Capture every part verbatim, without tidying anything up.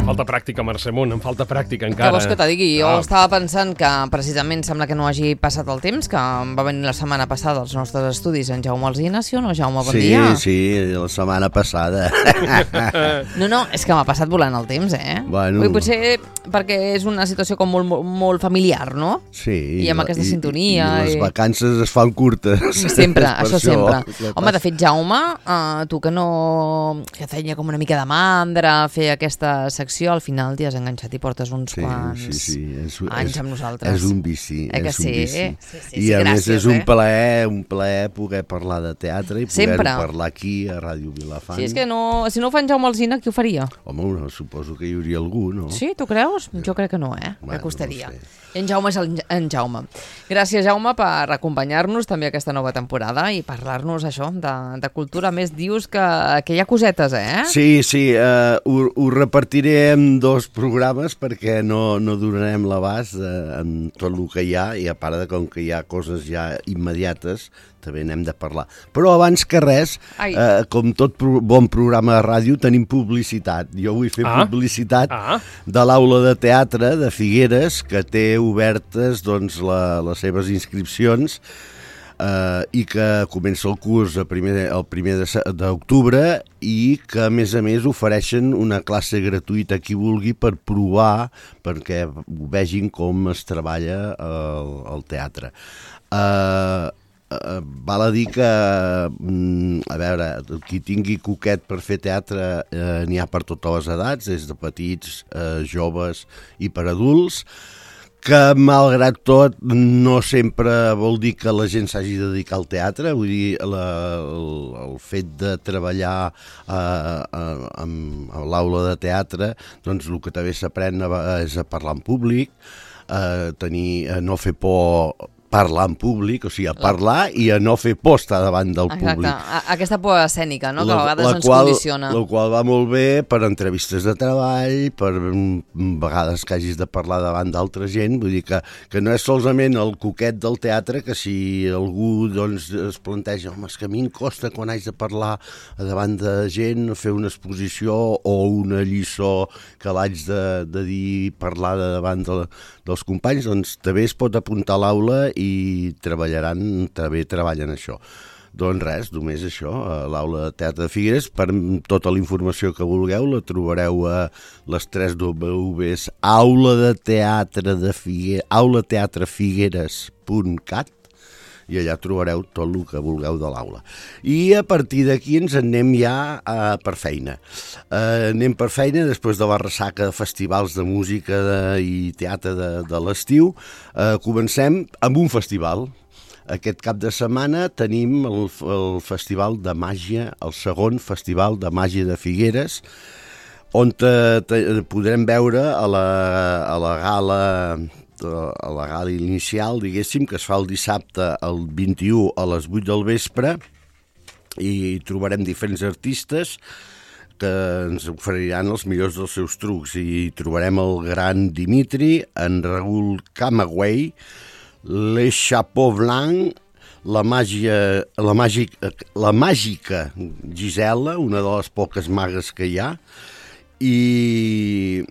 Falta pràctica, Mercè Munt, em falta pràctica Què encara. vols que te digui? Jo Ah. estava pensant que precisament sembla que no hagi passat el temps, que va venir la setmana passada als nostres estudis en Jaume Alsina, sí o no, Jaume? Bon sí, dia. Sí, la setmana passada. No, no, és que m'ha passat volant el temps, eh? Bueno. Vull, potser perquè és una situació com molt, molt, molt familiar, no? Sí. I amb aquesta i, sintonia. I les i... vacances es fan curtes. Sempre, Per això sempre. Clar, Home, de fet, Jaume, uh, tu que no... que feia com una mica de mandra fer aquesta secció, al final t'hi has enganxat i portes uns sí, quants sí, sí. És, anys és, amb nosaltres. És un vici. Eh que és sí? un vici. Sí, sí, I sí, a gràcies, més és un eh? plaer, un plaer poder parlar de teatre i poder Sempre. parlar aquí a Ràdio Vilafant. Sí, és que no, si no ho fa en Jaume Alsina, qui ho faria? Home, no, suposo que hi hauria algú, no? Sí, tu creus? Jo crec que no, eh? Bueno, que costaria. no sé. I en Jaume és el, en Jaume. Gràcies, Jaume, per acompanyar-nos també aquesta nova temporada i parlar-nos, això, de, de cultura. A més, dius que, que hi ha cosetes, eh? Sí, sí, uh, ho, ho repartiré en dos programes perquè no, no donarem l'abast uh, en tot el que hi ha i a part de com que hi ha coses ja immediates també n'hem de parlar. Però abans que res, eh, com tot pro bon programa de ràdio, tenim publicitat. Jo vull fer ah. publicitat ah. de l'aula de teatre de Figueres, que té obertes doncs, la, les seves inscripcions eh, i que comença el curs el primer, el primer d'octubre i que, a més a més, ofereixen una classe gratuïta a qui vulgui per provar, perquè vegin com es treballa el, el teatre. Eh... Uh, val a dir que, mm, a veure, qui tingui coquet per fer teatre uh, n'hi ha per totes les edats, des de petits, uh, joves i per adults, que malgrat tot no sempre vol dir que la gent s'hagi de dedicar al teatre, vull dir, la, el, el fet de treballar uh, uh, amb, a l'aula de teatre, doncs el que també s'aprèn és a parlar en públic, a, tenir, a no fer por parlar en públic, o sigui, a parlar i a no fer por estar davant del Exacte. públic. Exacte, aquesta por escènica, no? La, que a vegades la ens qual, condiciona. La qual va molt bé per entrevistes de treball, per vegades que hagis de parlar davant d'altra gent, vull dir que, que no és solament el coquet del teatre, que si algú doncs, es planteja, home, és que a mi em costa quan haig de parlar davant de gent, fer una exposició o una lliçó que l'haig de, de dir, parlar de davant de, dels companys, doncs també es pot apuntar a l'aula i treballaran, també treballen això. Doncs res, només això, a l'aula de teatre de Figueres. Per tota la informació que vulgueu la trobareu a les tres W's aula de teatre de Figueres, aula teatre figueres punt cat i allà trobareu tot el que vulgueu de l'aula. I a partir d'aquí ens anem ja uh, per feina. Uh, anem per feina després de la ressaca de festivals de música de, i teatre de, de l'estiu. Uh, comencem amb un festival. Aquest cap de setmana tenim el, el Festival de Màgia, el segon Festival de Màgia de Figueres, on te, te, podrem veure a la, a la gala a la gala inicial, diguéssim, que es fa el dissabte el vint-i-u a les vuit del vespre i trobarem diferents artistes que ens oferiran els millors dels seus trucs i trobarem el gran Dimitri, en Raül Camagüey, Les Chapeaux Blancs, la màgia, la màgica, la màgica Gisela, una de les poques magues que hi ha, i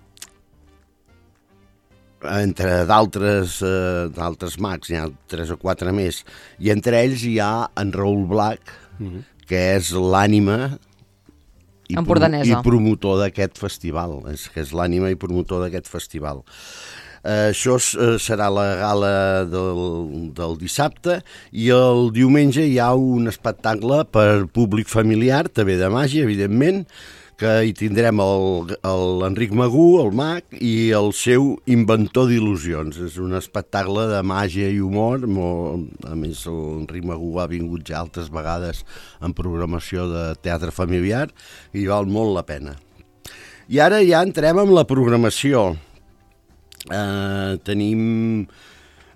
entre d'altres eh, d'altres mags, hi ha tres o quatre més, i entre ells hi ha en Raül Black, mm-hmm. que és l'ànima i, pro i promotor d'aquest festival, és que és l'ànima i promotor d'aquest festival. Eh, això eh, serà la gala del, del dissabte i el diumenge hi ha un espectacle per públic familiar, també de màgia, evidentment, que hi tindrem l'Enric Magú, el mag, i el seu inventor d'il·lusions. És un espectacle de màgia i humor. Molt, a més, l'Enric Magú ha vingut ja altres vegades en programació de teatre familiar i val molt la pena. I ara ja entrem amb la programació. Eh, tenim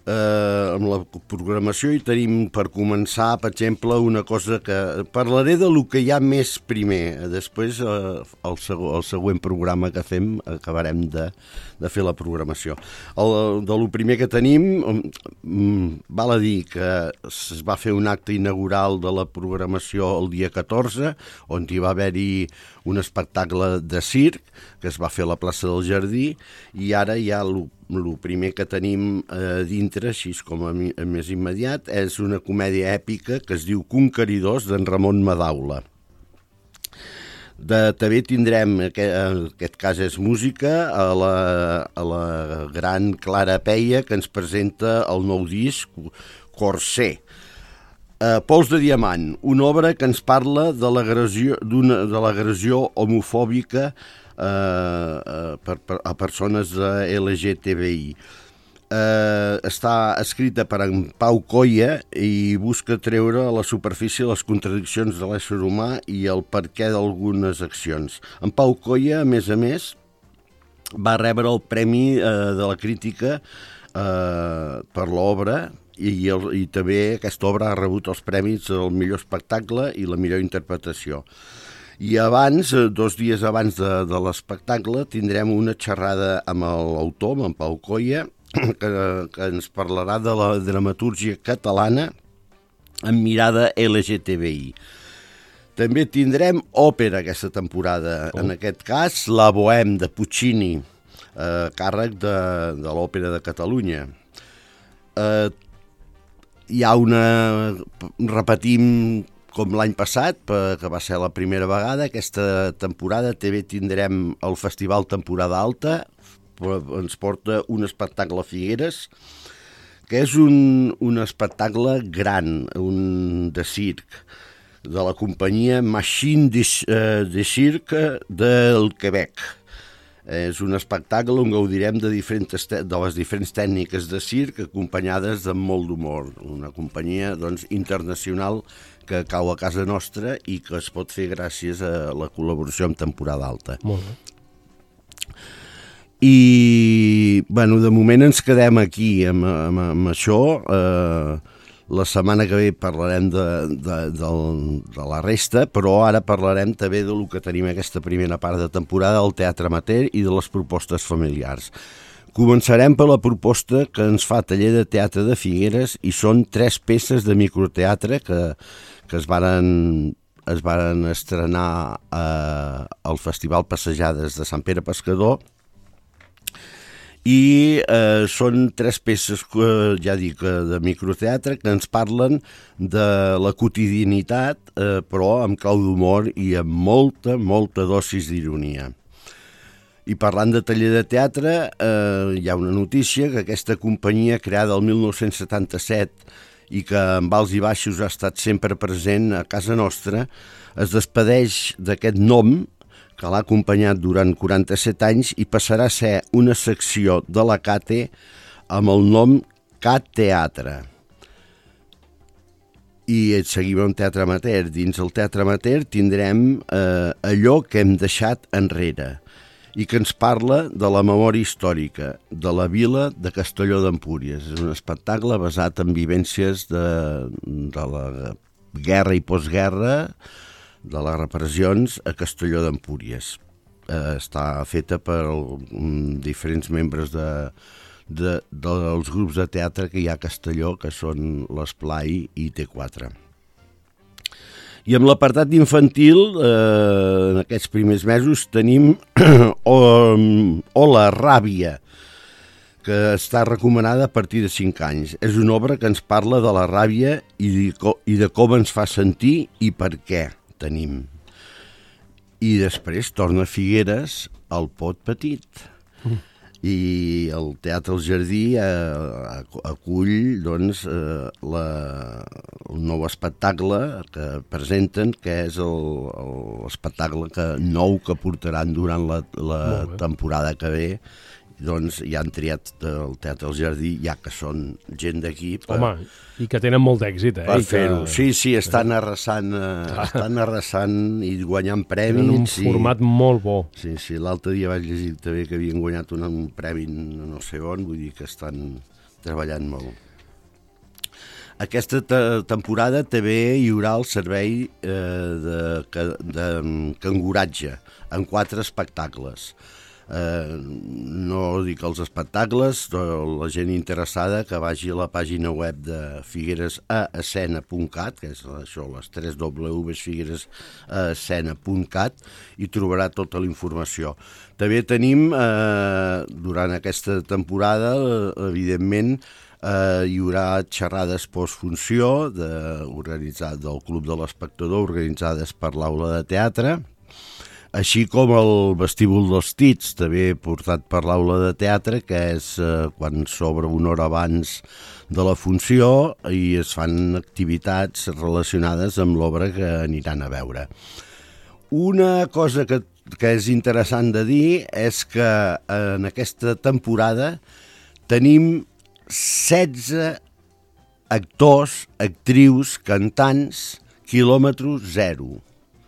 eh, amb la programació i tenim per començar, per exemple, una cosa que... Parlaré de lo que hi ha més primer. Després, eh, el, seg el següent programa que fem, acabarem de, de fer la programació. El, de lo primer que tenim, um, val a dir que es va fer un acte inaugural de la programació el dia catorze, on hi va haver-hi un espectacle de circ que es va fer a la plaça del Jardí, i ara hi ha el primer que tenim eh, dintre, així com a, mi, a més immediat, és una comèdia èpica que es diu Conqueridors, d'en Ramon Madaula. De, també tindrem, aquest, en aquest cas és música, a la, a la gran Clara Peia, que ens presenta el nou disc Corser. Uh, Pols de diamant, una obra que ens parla de l'agressió d'una de l'agressió homofòbica uh, uh, per, per, a persones L G T B I. Uh, està escrita per en Pau Coia i busca treure a la superfície les contradiccions de l'ésser humà i el perquè d'algunes accions. En Pau Coia, a més a més, va rebre el Premi uh, de la Crítica uh, per l'obra, I, el, i també aquesta obra ha rebut els premis del millor espectacle i la millor interpretació. I abans, dos dies abans de, de l'espectacle, tindrem una xerrada amb l'autor, amb en Pau Coia, que, que ens parlarà de la dramatúrgia catalana amb mirada L G T B I. També tindrem òpera aquesta temporada, oh. En aquest cas la Bohème de Puccini, eh, càrrec de, de l'Òpera de Catalunya. Eh, Hi ha una... Repetim com l'any passat, que va ser la primera vegada. Aquesta temporada també tindrem el Festival Temporada Alta, ens porta un espectacle a Figueres, que és un, un espectacle gran, un de circ, de la companyia Machine de, de Cirque del Quebec. És un espectacle on gaudirem de, diferents, de les diferents tècniques de circ acompanyades de molt d'humor. Una companyia doncs, internacional que cau a casa nostra i que es pot fer gràcies a la col·laboració amb Temporada Alta. Molt bé. I, bueno, de moment ens quedem aquí amb, amb, amb això. Eh, La setmana que ve parlarem de, de, de, de la resta, però ara parlarem també del que tenim aquesta primera part de temporada del teatre amateur i de les propostes familiars. Començarem per la proposta que ens fa Taller de Teatre de Figueres i són tres peces de microteatre que, que es varen, es varen estrenar eh, al Festival Passejades de Sant Pere Pescador. I eh, són tres peces, eh, ja dic, de microteatre que ens parlen de la quotidianitat, eh, però amb clau d'humor i amb molta, molta dosis d'ironia. I parlant de Taller de Teatre, eh, hi ha una notícia que aquesta companyia, creada el mil nou-cents setanta-set i que amb alts i baixos ha estat sempre present a casa nostra, es despedeix d'aquest nom que l'ha acompanyat durant quaranta-set anys i passarà a ser una secció de la CATE amb el nom Cat Teatre. I seguim amb teatre amateur. Dins el teatre amateur tindrem eh, allò que hem deixat enrere i que ens parla de la memòria històrica de la vila de Castelló d'Empúries. És un espectacle basat en vivències de, de la guerra i postguerra, de les repressions a Castelló d'Empúries. Eh, està feta per um, diferents membres de, de, dels grups de teatre que hi ha a Castelló, que són l'Esplai i T quatre. I amb l'apartat infantil, eh, en aquests primers mesos, tenim Hola, Ràbia, que està recomanada a partir de cinc anys. És una obra que ens parla de la ràbia i de, i de com ens fa sentir i per què tenim. I després torna a Figueres el Pot Petit. Mm. I el Teatre El Jardí eh, acull doncs, eh, la, el nou espectacle que presenten, que és l'espectacle que, nou que portaran durant la, la temporada que ve. Doncs ja han triat el Teatre El Jardí, ja que són gent d'aquí. Per... Home, i que tenen molt d'èxit, eh? Per fer-ho. Que... Sí, sí, estan arrasant, eh, estan arrasant i guanyant premis. Tenen un format i... molt bo. Sí, sí, l'altre dia vaig llegir també que havien guanyat un, un premi no sé on, vull dir que estan, treballant molt. Aquesta te temporada també hi haurà el servei eh, de, de, de canguratge, en quatre espectacles. Eh, no dic els espectacles, la gent interessada que vagi a la pàgina web de figueres a escena punt cat, que és això, les tres doble u figueres a escena punt cat, i trobarà tota la informació. També tenim, eh, durant aquesta temporada, evidentment, Uh, hi haurà xerrades postfunció de, organitzat del Club de l'Espectador, organitzades per l'Aula de Teatre, així com el vestíbul dels Tits, també portat per l'Aula de Teatre, que és uh, quan s'obre una hora abans de la funció i es fan activitats relacionades amb l'obra que aniran a veure. Una cosa que, que és interessant de dir és que en aquesta temporada tenim setze actors, actrius, cantants, quilòmetre zero.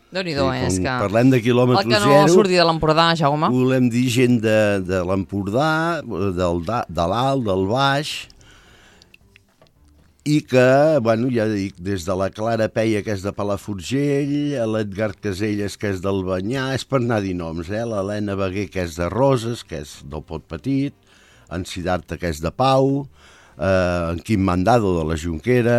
Déu-n'hi-do, Sí, és quan que... parlem de quilòmetre El que no zero, surti de l'Empordà, Jaume. volem dir gent de, de l'Empordà, del, da- de l'Alt, del Baix, i que, bueno, ja dic, des de la Clara Peia, que és de Palafrugell, a l'Edgar Caselles, que és del Banyà, és per anar a dir noms, eh? L'Helena Beguer, que és de Roses, que és del Pot Petit, en Siddhartha, que és de Pau, eh, en Quim Mandado, de la Jonquera,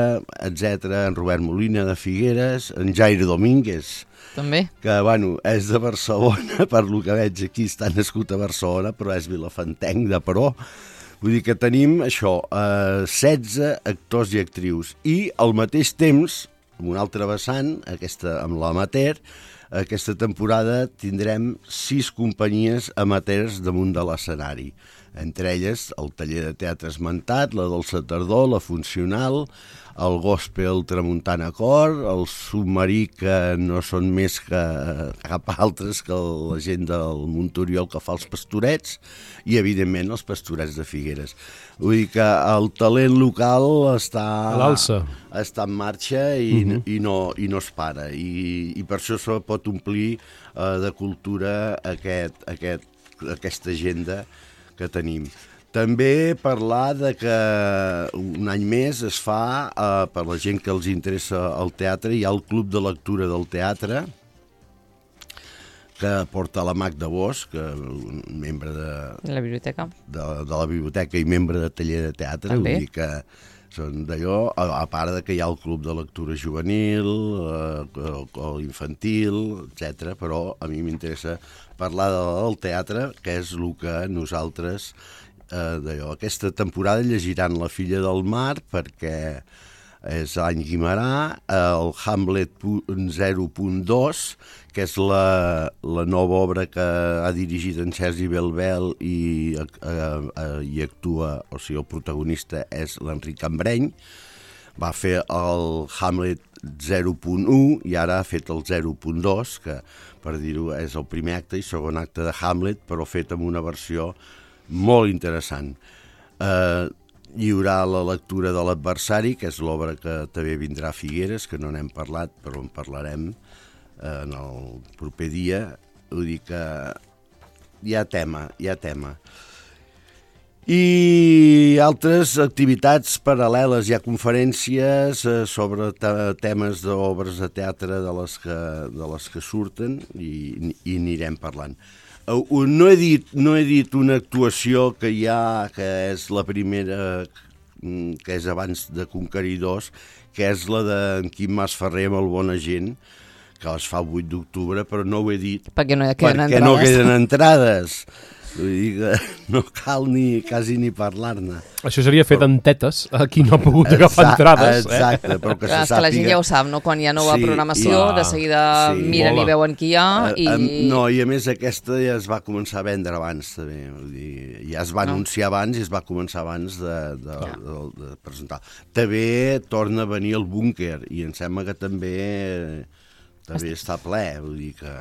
etcètera, en Robert Molina, de Figueres, en Jairo Domínguez, També. que, bueno, és de Barcelona, per lo que veig aquí, està nascut a Barcelona, però és vilafantenc de Peró. Vull dir que tenim això, eh, setze actors i actrius, i al mateix temps, amb un altre vessant, aquesta, amb l'amateur, aquesta temporada tindrem sis companyies amateurs damunt de l'escenari. Entre elles el taller de teatre esmentat, la Dolça Tardor, la Funcional, el Gospel Tramuntana Cor, el Submarí, que no són més que cap altres que la gent del Montoriol que fa els pastorets, i evidentment els pastorets de Figueres. Vull dir que el talent local està, A l'alça. està en marxa i, uh -huh. i, no, i no es para, i, i per això se pot omplir eh, de cultura aquest, aquest, aquesta agenda que tenim. També parlar de que un any més es fa, eh, per la gent que els interessa el teatre, hi ha el Club de Lectura del Teatre, que porta la Magda Bosch, que un membre de, La biblioteca. de, de la biblioteca i membre de taller de teatre, També. vull dir que són d'allò, a, a part de que hi ha el Club de Lectura Juvenil, eh, o, o infantil, etcètera. Però a mi m'interessa parlar del teatre, que és el que nosaltres, eh, d'allò, aquesta temporada llegiran La filla del mar, perquè és l'any Guimerà, el Hamlet zero punt dos, que és la, la nova obra que ha dirigit en Sergi Belbel i, eh, eh, i actua, o sigui, el protagonista és l'Enric Cambreny. Va fer el Hamlet zero punt u i ara ha fet el zero punt dos, que, per dir-ho, és el primer acte i segon acte de Hamlet, però fet amb una versió molt interessant. Eh, hi haurà la lectura de l'adversari, que és l'obra que també vindrà a Figueres, que no n'hem parlat, però en parlarem en el proper dia. Vull dir que hi ha tema, hi ha tema. I altres activitats paral·leles, hi ha conferències eh, sobre temes d'obres de teatre de les que, de les que surten i, i anirem parlant. No he dit, no he dit una actuació que hi ha, que és la primera, que és abans de Conqueridors, que és la d'en Quim Masferrer amb el Bona Gent, que es fa el vuit d'octubre, però no ho he dit Perquè no hi queden perquè entrades. no queden entrades. Vull dir que no cal ni, quasi ni parlar-ne. Això seria fet en tetes, a qui no ha pogut agafar Exacte, entrades. Exacte, però que Clar, se és que la gent sàpiga. ja ho sap, no? Quan hi ha nova Sí, programació, i- de seguida Sí. miren Mola. i veuen qui hi ha Eh, i... em- No, i a més aquesta ja es va començar a vendre abans, també. Vull dir, ja es va No. anunciar abans i es va començar abans de, de, Ja. de, de presentar. També torna a venir el búnquer i em sembla que també, també està ple, vull dir que...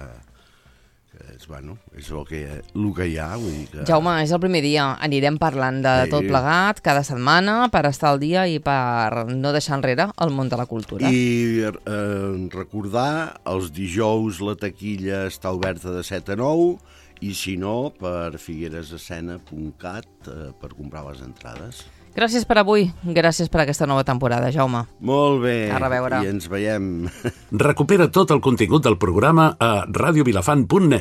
És, bueno, és el que, el que hi ha, vull dir que... Jaume, és el primer dia. Anirem parlant de Sí. tot plegat cada setmana per estar al dia i per no deixar enrere el món de la cultura. I eh, recordar, els dijous la taquilla està oberta de set a nou i si no, per figueresescena punt cat eh, per comprar les entrades. Gràcies per avui, gràcies per aquesta nova temporada, Jaume. Molt bé, A reveure. i ens veiem. Recupera tot el contingut del programa a radiovilafant punt net.